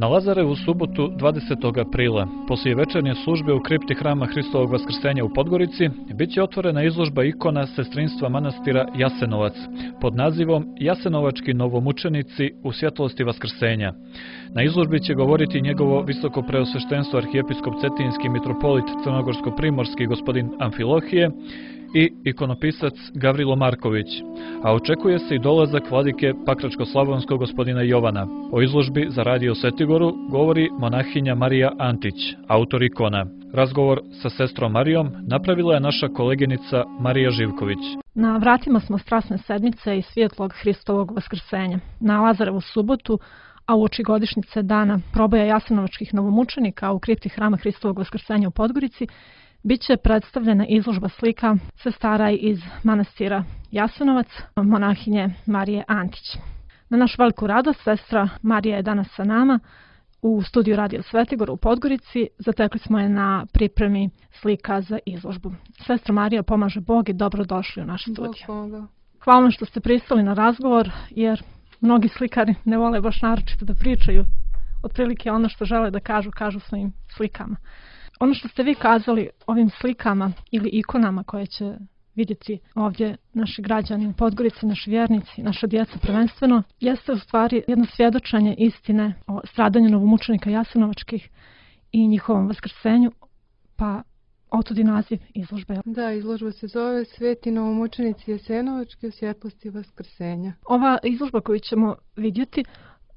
Na Lazarevu subotu 20. aprila, poslije večernje službe u kripti Hrama Hristovog Vaskrsenja u Podgorici, bit će otvorena izložba ikona sestrinstva manastira Jasenovac pod nazivom Jasenovački novomučenici u svjetlosti Vaskrsenja. Na izložbi će govoriti njegovo visoko preosveštenstvo arhijepiskop cetinski mitropolit crnogorsko-primorski gospodin Amfilohije i ikonopisac Gavrilo Marković, a očekuje se i dolazak vladike Pakračko-slavonskog gospodina Jovana. O izložbi za Radio Svetigoru govori monahinja Marija Antić, autor ikona. Razgovor sa sestrom Marijom napravila je naša koleginica Marija Živković. Na vratima smo strasne sedmice i svjetlog Hristovog Vaskrsenja. Na Lazarevu subotu, a uoči godišnjice dana proboja jasenovačkih novomučenika u kripti Hrama Hristovog Vaskrsenja u Podgorici, biće predstavljena izložba slika sestara iz manastira Jasenovac, monahinje Marije Antić. Na našu veliku radost, sestra Marija je danas sa nama u studiju Radio Svetigor u Podgorici. Zatekli smo je na pripremi slika za izložbu. Sestra Marija, pomaže Bog i dobrodošli u naš studiju. Hvala vam što ste pristali na razgovor, jer mnogi slikari ne vole baš naročito da pričaju. Otprilike ono što žele da kažu svojim slikama. Ono što ste vi kazali ovim slikama ili ikonama koje će vidjeti ovdje naši građani u Podgorici, naši vjernici, naša djeca prvenstveno, jeste u stvari jedno svjedočenje istine o stradanju novomučenika jasenovačkih i njihovom vaskrsenju, pa otud i naziv izložbe. Da, izložba se zove Sveti novomučenici jasenovački u svjetlosti vaskrsenja. Ova izložba koju ćemo vidjeti,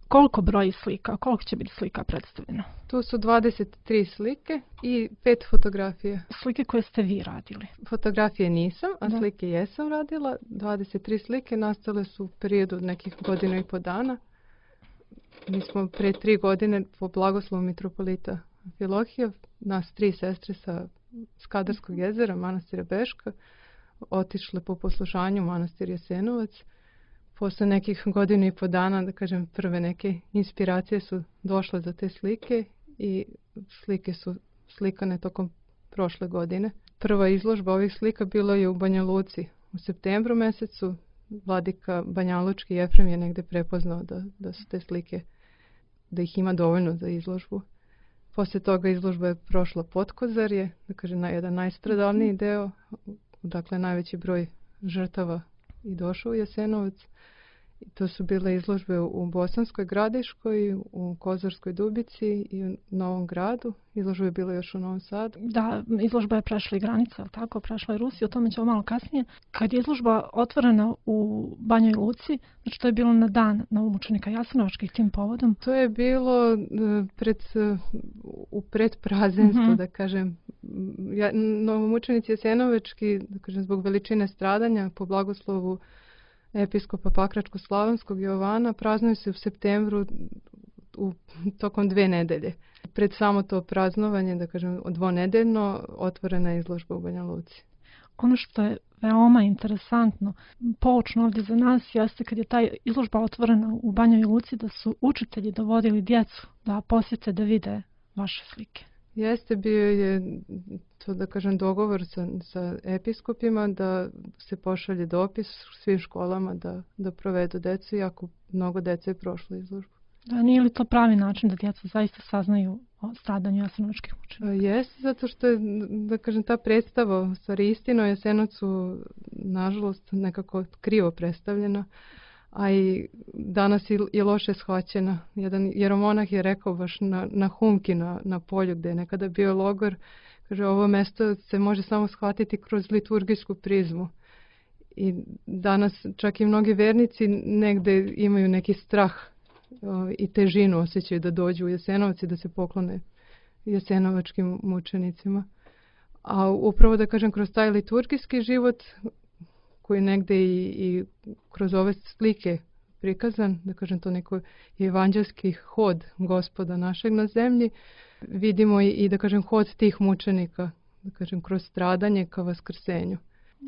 koliko broji slika, koliko će biti slika predstavljeno? Tu su 23 slike i 5 fotografija. Slike koje ste vi radili? Fotografije nisam, a slike jesam radila. 23 slike nastale su u periodu nekih godinu i po dana. Mi smo pre 3 godine po blagoslovu mitropolita Amfilohija, nas 3 sestre sa Skadarskog jezera, manastira Beška, otišle po poslušanju manastir Jasenovac. Posle nekih godinu i po dana, da kažem, prve neke inspiracije su došle za te slike i slike su slikane tokom prošle godine. Prva izložba ovih slika bila je u Banja Luci u septembru mesecu. Vladika Banjalučki Jefrem je negde prepoznao da su te slike, da ih ima dovoljno za izložbu. Poslije toga izložba je prošla Potkozarje, da kažem, na jedan najstradalniji deo, dakle najveći broj žrtava i došao u Jasenovac. To su bile izložbe u Bosanskoj Gradiškoj, u Kozarskoj Dubici i u Novom Gradu. Izložba je bila još u Novom Sadu. Da, izložba je prešla i granice, ali tako, prešla i Rusiju, o tome ćemo malo kasnije. Kad je izložba otvorena u Banjoj Luci, znači to je bilo na dan novomučenika jasenovačkih tim povodom? To je bilo u predprazenstvu, da kažem. Novomučenici jasenovački, da kažem, zbog veličine stradanja po blagoslovu episkopa Pakračko-slavonskog Jovana praznuju se u septembru tokom 2 nedelje. Pred samo to praznovanje, da kažem, dvonedeljno, otvorena je izložba u Banja Luci. Ono što je veoma interesantno, poučno ovdje za nas, jeste kad je ta izložba otvorena u Banjoj Luci, da su učitelji dovodili djecu da posjete, da vide vaše slike. Jeste, bio je to, da kažem, dogovor sa episkopima da se pošalje dopis svim školama da provedu decu, jako mnogo dece je prošlo izložbu. Da, nije li to pravi način da djeca zaista saznaju o stradanju jasenovačkih mučenika? Jeste, zato što je, da kažem, ta predstava u stvari istina o Jasenovcu nažalost nekako krivo predstavljena, a i danas je loše shvaćena. Jedan jeromonah je rekao baš na Humki, na polju gdje je nekada bio logor, kaže, ovo mjesto se može samo shvatiti kroz liturgijsku prizmu. I danas čak i mnogi vernici negdje imaju neki strah i težinu osjećaju da dođu u Jasenovac i da se poklone jasenovačkim mučenicima. A upravo, da kažem, kroz taj liturgijski život koji negdje i kroz ove slike prikazan, da kažem, to neko evanđelski hod Gospoda našeg na zemlji, vidimo i da kažem, hod tih mučenika, da kažem, kroz stradanje ka vaskrsenju.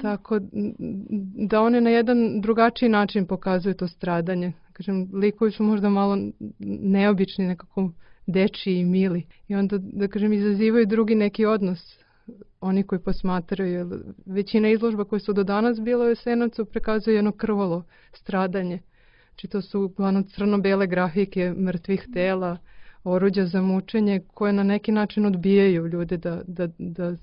Tako da one na jedan drugačiji način pokazuju to stradanje. Kažem, likovi su možda malo neobični, nekako dečiji i mili. I onda, da kažem, izazivaju drugi neki odnos. Oni koji posmatraju, većina izložba koje su do danas bile u Jasenovcu prikazuje jedno krvavo stradanje. Znači to su uglavnom crno-bele grafike mrtvih tela, oruđa za mučenje koje na neki način odbijaju ljude da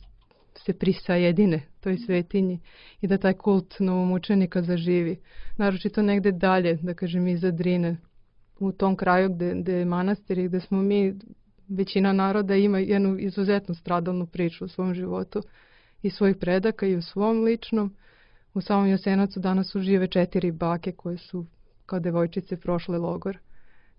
se prisajedine toj svetinji i da taj kult novomučenika zaživi. Naročito negde dalje, da kažem, iza Drine, u tom kraju gde je manastir i gde smo mi, većina naroda ima jednu izuzetno stradalnu priču u svom životu i svojih predaka i u svom ličnom. U samom Jasenovcu danas žive 4 bake koje su kao devojčice prošle logor.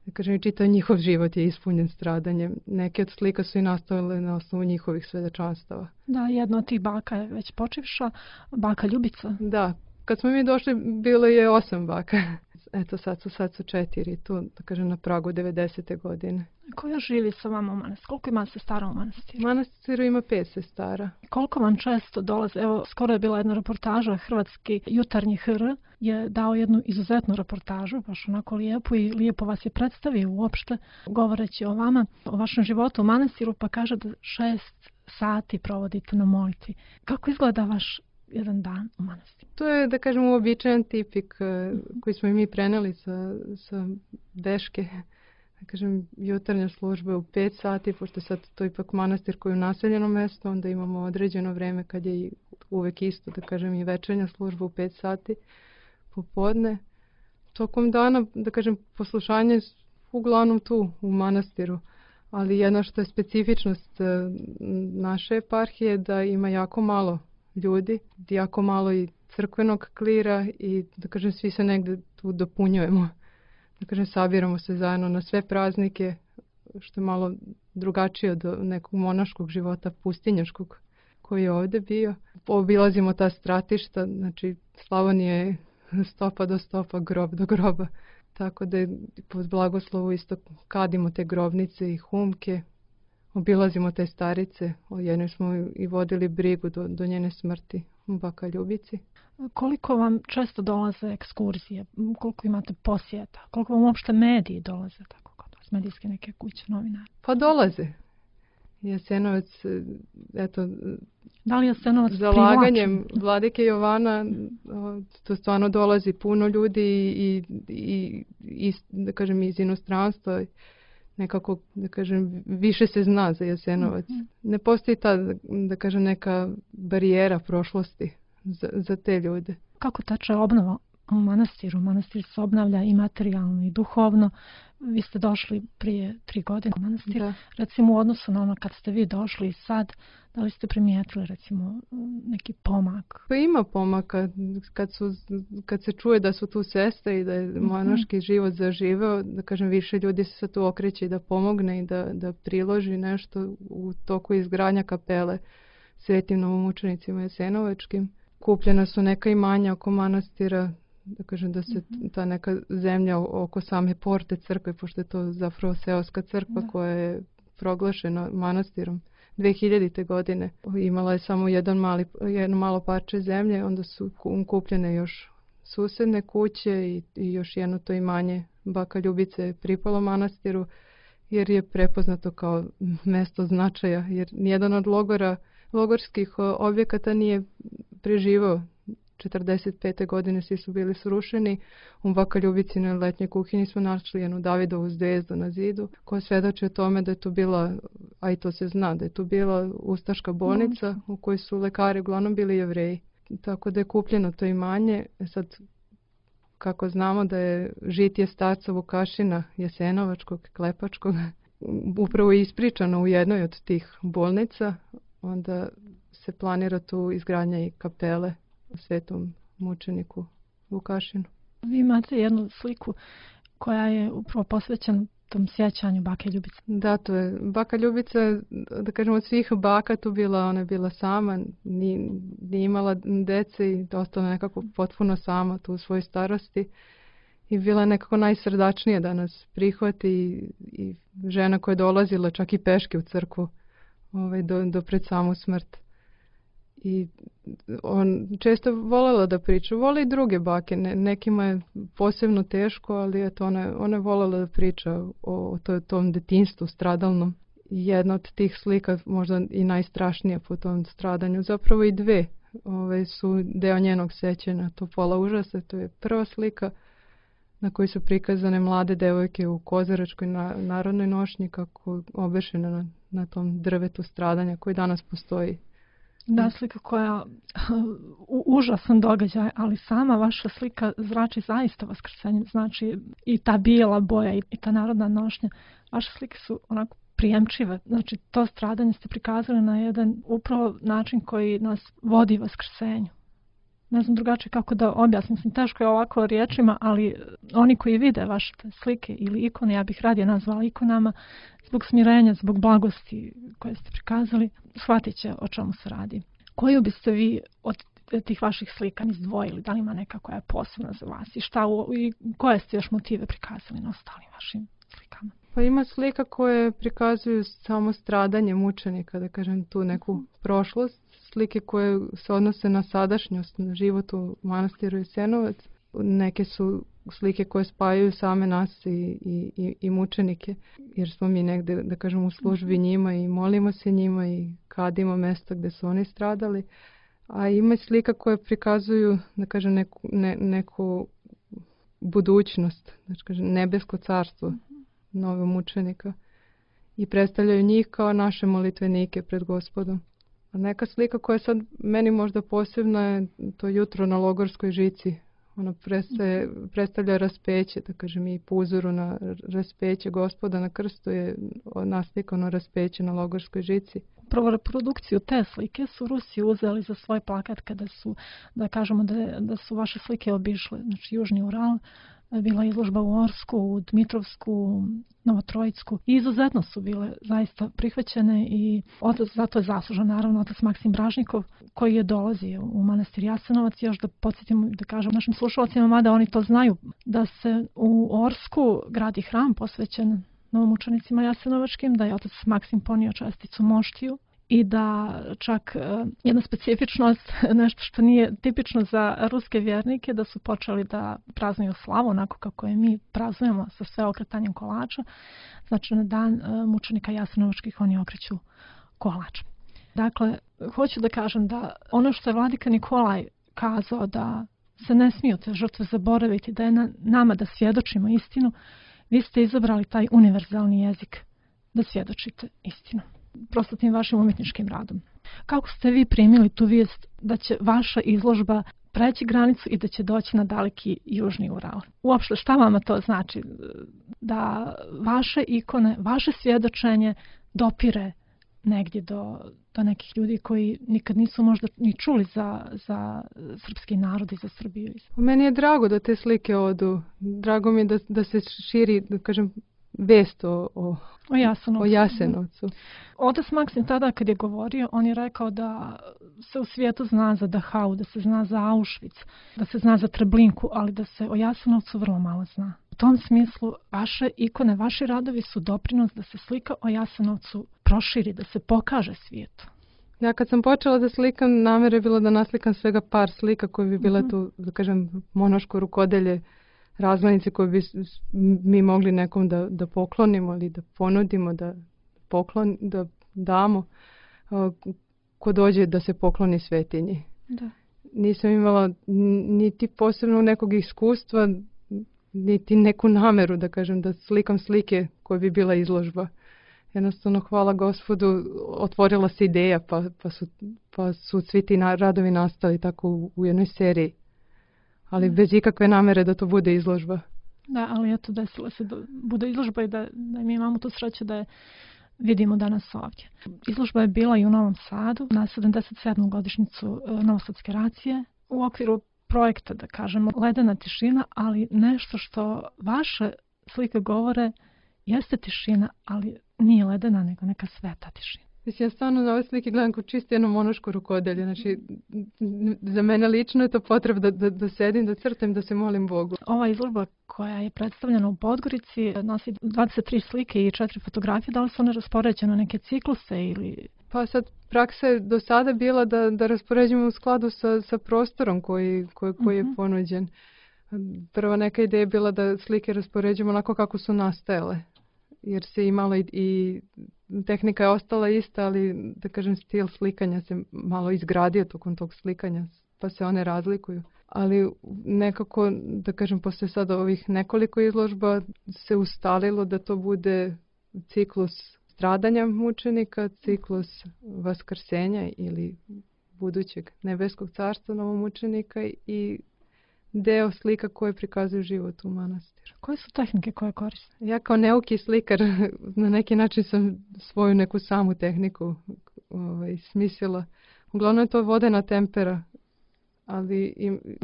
Da kažem, čitav njihov život je ispunjen stradanjem. Neke od slika su i nastavile na osnovu njihovih svedočanstava. Da, jedna od tih baka je već počivša, baka Ljubica. Da, kad smo mi došli bilo je 8 baka. Eto sad su 4 tu, da kažem, na pragu 90. godine. Ko još živi sa vama u manastiru? Koliko ima sestara u manastiru? U manastiru ima 5 sestara. Koliko vam često dolaze? Evo, skoro je bila jedna reportaža, Hrvatski jutarnji HR je dao jednu izuzetnu reportažu, baš onako lijepu i lijepo vas je predstavio uopšte, govoreći o vama, o vašem životu u manastiru, pa kaže da 6 sati provodite na molitvi. Kako izgleda vaš jedan dan u manastiru? To je, da kažem, uobičajen tipik koji smo i mi preneli sa Beške. Da kažem, jutarnja služba je u 5 sati, pošto sad to ipak manastir koji je u naseljenom mjestu, onda imamo određeno vreme kad je uvek isto, da kažem, i večernja služba u 5 sati popodne. Tokom dana, da kažem, poslušanje uglavnom tu u manastiru, ali jedno što je specifičnost naše eparhije da ima jako malo ljudi, jako malo i crkvenog klira i, da kažem, svi se negde tu dopunjujemo. Da kažem, sabiramo se zajedno na sve praznike, što je malo drugačije od nekog monaškog života, pustinjaškog koji je ovdje bio. Obilazimo ta stratišta, znači Slavonija je stopa do stopa, grob do groba. Tako da pod blagoslovu isto kadimo te grobnice i humke, obilazimo te starice, o jednoj smo i vodili brigu do njene smrti u Baka Ljubici. Koliko vam često dolaze ekskurzije, koliko imate posjeta, koliko vam uopšte mediji dolaze, tako kod vas, medijske neke kuće, novinari? Pa dolaze. Jasenovac, eto, da li Jasenovac zalaganjem vladike Jovana, to stvarno dolazi puno ljudi i da kažem, iz inostranstva, nekako, da kažem, više se zna za Jasenovac. Ne postoji ta, da kažem, neka barijera prošlosti za te ljude. Kako teče obnova u manastiru? Manastir se obnavlja i materijalno i duhovno. Vi ste došli prije 3 godine u manastir. Da. Recimo u odnosu na ono kad ste vi došli i sad, da li ste primijetili recimo neki pomak? Pa ima pomaka. Kad se čuje da su tu sestre i da je monaški život zaživeo, da kažem, više ljudi se sad tu okreće i da pomogne i da priloži nešto u toku izgradnja kapele svetim novomučenicima jasenovačkim. Kupljena su neka imanja oko manastira, da kažem, da se ta neka zemlja oko same porte crkve, pošto je to zapravo seoska crkva koja je proglašena manastirom 2000. godine. Imala je samo jedno malo parče zemlje, onda su kupljene još susedne kuće i još jedno to imanje Baka Ljubice pripalo manastiru, jer je prepoznato kao mesto značaja, jer nijedan od logorskih objekata nije preživao. 45. godine svi su bili srušeni. U Baka Ljubicinoj letnjoj kuhinji smo našli jednu Davidovu zvezdu na zidu koja svedoči o tome da je to bila, a i to se zna, da je to bila ustaška bolnica u kojoj su lekari uglavnom bili Jevreji. Tako da je kupljeno to imanje. Sad, kako znamo da je žitije starca Vukašina Jasenovačkog, Klepačkog, upravo ispričano u jednoj od tih bolnica, onda se planira tu izgradnja i kapele svetom mučeniku Vukašinu. Vi imate jednu sliku koja je upravo posvećena tom sjećanju Bake Ljubice. Da, to je Baka Ljubica, da kažemo, od svih baka tu bila, ona je bila sama, nije imala dece i ostala nekako potpuno sama tu u svojoj starosti i bila nekako najsrdačnija da nas prihvati i žena koja je dolazila čak i peške u crkvu do pred samu smrt. I on često volela da priča, voli i druge bake, nekima je posebno teško, ali eto, ona je volela da priča o tom detinjstvu stradalnom. Jedna od tih slika, možda i najstrašnija po tom stradanju, zapravo i dve su deo njenog sećanja, to Pola užasa, to je prva slika na koji su prikazane mlade devojke u kozaračkoj narodnoj nošnji kako obešene na tom drvetu stradanja koji danas postoji. Da, slika koja užasan događaj, ali sama vaša slika zrači zaista vaskrsenje. Znači i ta bijela boja i ta narodna nošnja. Vaše slike su onako prijemčive. Znači to stradanje ste prikazali na jedan upravo način koji nas vodi vaskrsenju. Ne znam drugačije kako da objasnim. Mislim, teško je ovako riječima, ali oni koji vide vaše slike ili ikone, ja bih radije nazvala ikonama, zbog smirenja, zbog blagosti koje ste prikazali, shvatit će o čemu se radi. Koju biste vi od tih vaših slika izdvojili? Da li ima neka koja je posebna za vas? I koje ste još motive prikazali na ostalim vašim slikama? Pa ima slika koje prikazuju samo stradanje mučenika, da kažem tu neku prošlost. Slike koje se odnose na sadašnjost, na život u manastiru Jasenovac. Neke su slike koje spajaju same nas i mučenike, jer smo mi negde, da kažem, u službi njima i molimo se njima i kadimo mesta gde su oni stradali. A ima slika koje prikazuju, da kažem, neku budućnost, znači kažem, nebesko carstvo novog mučenika i predstavljaju njih kao naše molitvenike pred Gospodom. A neka slika koja je sad meni možda posebna je to jutro na Logorskoj žici. Ono predstavlja raspeće, da kažem, i po uzoru na raspeće Gospoda na krstu je naslikano raspeće na Logorskoj žici. Prvo reprodukciju te slike su Rusi uzeli za svoj plakat kada su, da kažemo da su vaše slike obišle, znači Južni Ural, bila izložba u Orsku, u Dmitrovsku, Novotrojicku. I izuzetno su bile zaista prihvaćene i zato je zaslužan naravno otac Maksim Bražnikov koji je dolazio u manastir Jasenovac. Još da podsjetimo, da kažem našim slušalcima, mada oni to znaju, da se u Orsku gradi hram posvećen novomučenicima jasenovačkim, da je otac Maksim ponio česticu moštiju i da čak jedna specifičnost, nešto što nije tipično za ruske vjernike, da su počeli da praznuju slavu onako kako je mi praznujemo sa sve okretanjem kolača. Znači na dan mučenika jasenovačkih oni okreću kolač. Dakle, hoću da kažem da ono što je vladika Nikolaj kazao da se ne smiju te žrtve zaboraviti, da je na nama da svjedočimo istinu, vi ste izabrali taj univerzalni jezik da svjedočite istinu. Prosto tim vašim umjetničkim radom. Kako ste vi primili tu vijest da će vaša izložba preći granicu i da će doći na daleki Južni Ural? Uopšte šta vama to znači? Da vaše ikone, vaše svjedočenje dopire negdje do nekih ljudi koji nikad nisu možda ni čuli za srpski narod i za Srbiju. Meni je drago da te slike odu. Drago mi je da se širi, da kažem, vest o Jasenovcu. Otac Maksim tada kad je govorio, on je rekao da se u svijetu zna za Dachau, da se zna za Auschwitz, da se zna za Treblinku, ali da se o Jasenovcu vrlo malo zna. U tom smislu vaše ikone, vaši radovi su doprinos da se slika o Jasenovcu proširi, da se pokaže svijetu. Ja kad sam počela da slikam, namjera je bilo da naslikam svega par slika koje bi bile tu, da kažem, monaško rukodelje, razglednice koje bi mi mogli nekom da poklonimo ili da ponudimo, da damo ko dođe da se pokloni svetinji. Da. Nisam imala niti posebno nekog iskustva, niti neku nameru, da kažem, da slikam slike koje bi bila izložba. Jednostavno, hvala Gospodu, otvorila se ideja pa su svi ti radovi nastali tako u jednoj seriji. Ali bez ikakve namere da to bude izložba. Da, ali eto desilo se da bude izložba i da mi imamo tu sreću da je vidimo danas ovdje. Izložba je bila i u Novom Sadu na 77. godišnjicu Novosadske racije u okviru projekta, da kažemo, Ledena tišina, ali nešto što vaše slike govore jeste tišina, ali nije ledena, nego neka sveta tišina. Mislim, ja stvarno na ove slike gledam kao čisto jedno monaško rukodelje. Znači, za mene lično je to potreba da sedim, da crtam, da se molim Bogu. Ova izložba koja je predstavljena u Podgorici nosi 23 slike i 4 fotografije. Da li su one raspoređene neke cikluse ili... Pa sad, praksa je do sada bila da raspoređujemo u skladu sa prostorom koji je ponuđen. Prva neka ideja je bila da slike raspoređujemo onako kako su nastajale. Jer se imalo i tehnika je ostala ista, ali da kažem stil slikanja se malo izgradio tokom tog slikanja, pa se one razlikuju. ali nekako, da kažem, posle sada ovih nekoliko izložba se ustalilo da to bude ciklus stradanja mučenika, ciklus vaskrsenja ili budućeg nebeskog carstva novomučenika i deo slika koje prikazuju život u manastiru. Koje su tehnike koje koriste? Ja kao neuki slikar na neki način sam svoju neku samu tehniku smislila. Uglavnom je to vodena tempera, ali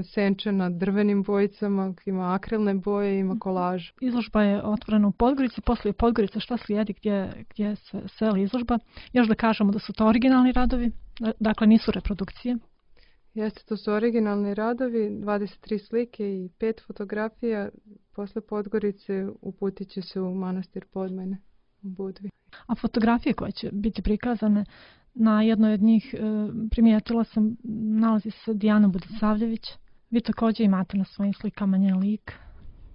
senčena drvenim bojicama, ima akrilne boje, ima kolaž. Izložba je otvorena u Podgorici, poslije Podgorice šta slijedi, gdje se seli izložba? Još da kažemo da su to originalni radovi, dakle nisu reprodukcije. Jeste, to su originalni radovi, 23 slike i 5 fotografija. Posle Podgorice uputit će se u manastir Podmajne u Budvi. A fotografije koje će biti prikazane, na jednoj od njih primijetila sam, nalazi se Dijana Budisavljević. Vi također imate na svojim slikama njen lik.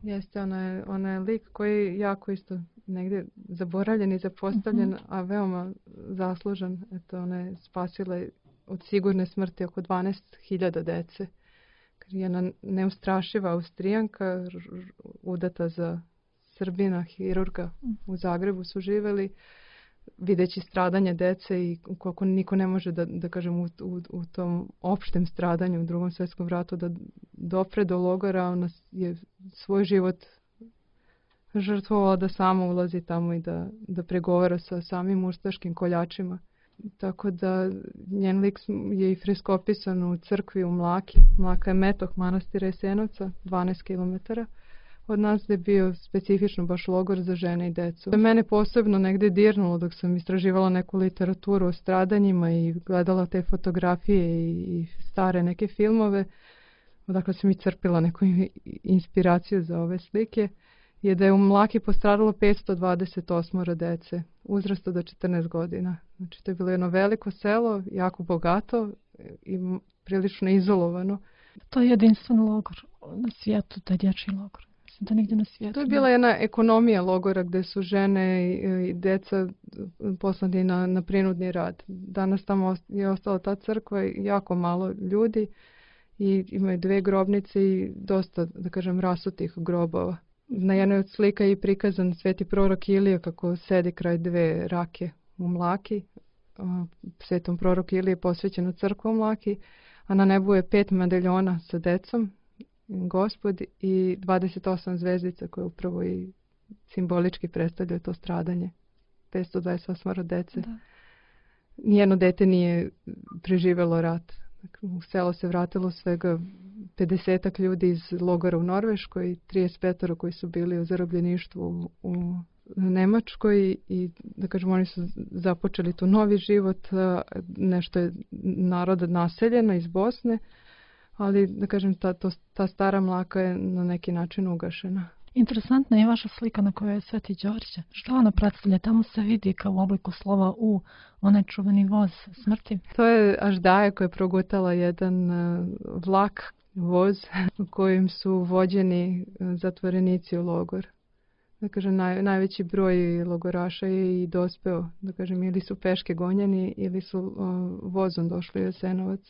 Jeste, ona je lik koji je jako isto negdje zaboravljen i zapostavljen, a veoma zaslužan. Eto, ona je spasila od sigurne smrti oko 12.000 dece. Jedna neustrašiva Austrijanka, udata za Srbina, hirurga u Zagrebu su živjeli, videći stradanje dece i koliko niko ne može da kažem u tom opštem stradanju u Drugom svjetskom ratu da dopre do logora, ona je svoj život žrtvovala da sama ulazi tamo i da pregovara sa samim ustaškim koljačima. Tako da njen lik je i freskopisan u crkvi u Mlaki. Mlaka je metok manastira Jasenovca, 12 km od nas, gdje je bio specifično baš logor za žene i decu. Mene posebno negdje dirnulo dok sam istraživala neku literaturu o stradanjima i gledala te fotografije i stare neke filmove, odakle sam i crpila neku inspiraciju za ove slike, je da je u Mlaki postradalo 528 dece uzrasta do 14 godina. Znači, to je bilo jedno veliko selo, jako bogato i prilično izolovano. To je jedinstven logor na svijetu, taj dječji logor. Mislim da nigdje na svijetu. To je bila jedna ekonomija logora gdje su žene i djeca poslani na prinudni rad. Danas tamo je ostala ta crkva i jako malo ljudi i imaju 2 grobnice i dosta, da kažem, rasutih grobova. Na jednoj od slika je prikazan sveti prorok Ilija kako sedi kraj 2 rake u Mlaki. Svetom prorok Ilije je posvećeno crkva u Mlaki, a na nebu je 5 medaljona sa decom, Gospod, i 28 zvezdica koje upravo i simbolički predstavljaju to stradanje. 528 dece. Da. Nijedno dete nije preživjelo rat. U selo se vratilo svega 50 ljudi iz logora u Norveškoj i 35 koji su bili u zarobljeništvu u Nemačkoj i da kažem oni su započeli tu novi život, nešto je naroda naseljeno iz Bosne, ali da kažem ta stara Mlaka je na neki način ugašena. Interesantna je vaša slika na kojoj je Sveti Đorđe. Što ona predstavlja? Tamo se vidi kao u obliku slova U, onaj čuveni voz smrti. To je Aždaja koja je progutala jedan vlak, voz u kojem su vođeni zatvorenici u logor. Da kažem, najveći broj logoraša je i dospeo, da kažem, ili su peške gonjeni ili su vozom došli u Jasenovac.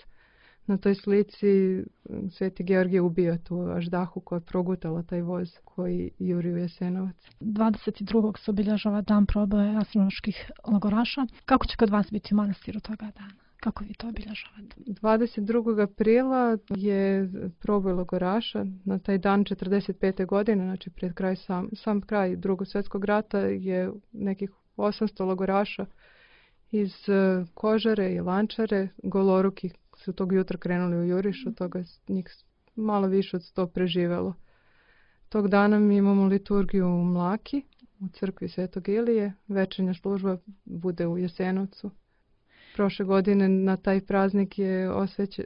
Na toj slici Sveti Georgije ubija tu Aždahu koja je progutala taj voz koji juri u Jasenovac. 22. se obilježava dan proboja jasenovačkih logoraša. Kako će kod vas biti u manastiru toga dana? Kako vi to obilježavate? 22. aprila je proboj logoraša. Na taj dan 45. godine, znači pred kraj sam kraj Drugog svjetskog rata, je nekih 800 logoraša iz Kožare i Lančare, goloruki, su tog jutra krenuli u juriš, od toga njih malo više od 100 preživelo. Tog dana mi imamo liturgiju u Mlaki, u crkvi Svetog Ilije, večernja služba bude u Jasenovcu. Prošle godine na taj praznik je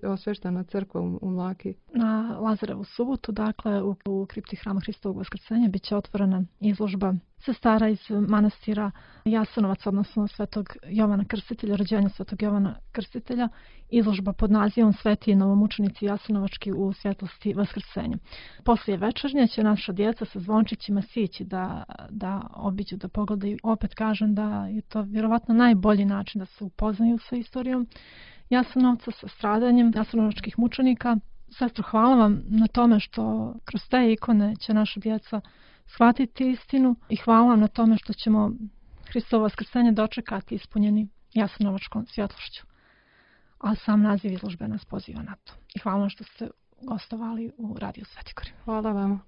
osveštana crkva u Mlaki. Na Lazarevu subotu, dakle, u kripti Hrama Hristovog Vaskrsenja bit će otvorena izložba sestara iz manastira Jasenovac, odnosno Svetog Jovana Krstitelja, rođenja Svetog Jovana Krstitelja, izložba pod nazivom Sveti novomučenici Jasenovački u svjetlosti Vaskrsenja. Poslije večernje će naša djeca sa zvončićima sići da obiđu, da pogledaju. Opet kažem da je to vjerovatno najbolji način da se upoznaju sa istorijom Jasenovca, sa stradanjem jasenovačkih mučenika. Sestro, hvala vam na tome što kroz te ikone će naša djeca shvatiti istinu i hvala vam na tome što ćemo Hristovo vaskrsenje dočekati ispunjeni jasenovačkom svjetlošću. A sam naziv izložbe nas poziva na to. I hvala vam što ste gostovali u Radio Sveti Gori. Hvala vama.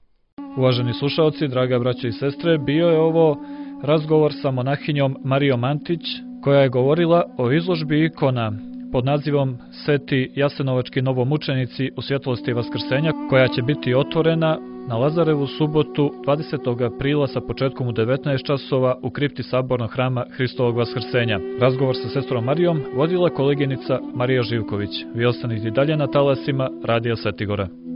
Uvaženi slušaoci, draga braćo i sestre, bio je ovo razgovor sa monahinjom Marijom Antić, koja je govorila o izložbi ikona pod nazivom Sveti jasenovački novomučenici u svjetlosti vaskrsenja, koja će biti otvorena na Lazarevu subotu 20. aprila sa početkom u 19 časova u kripti Sabornog hrama Hristovog vaskrsenja. Razgovor sa sestrom Marijom vodila koleginica Marija Živković. Vi ostanite dalje na talasima Radija Svetigora.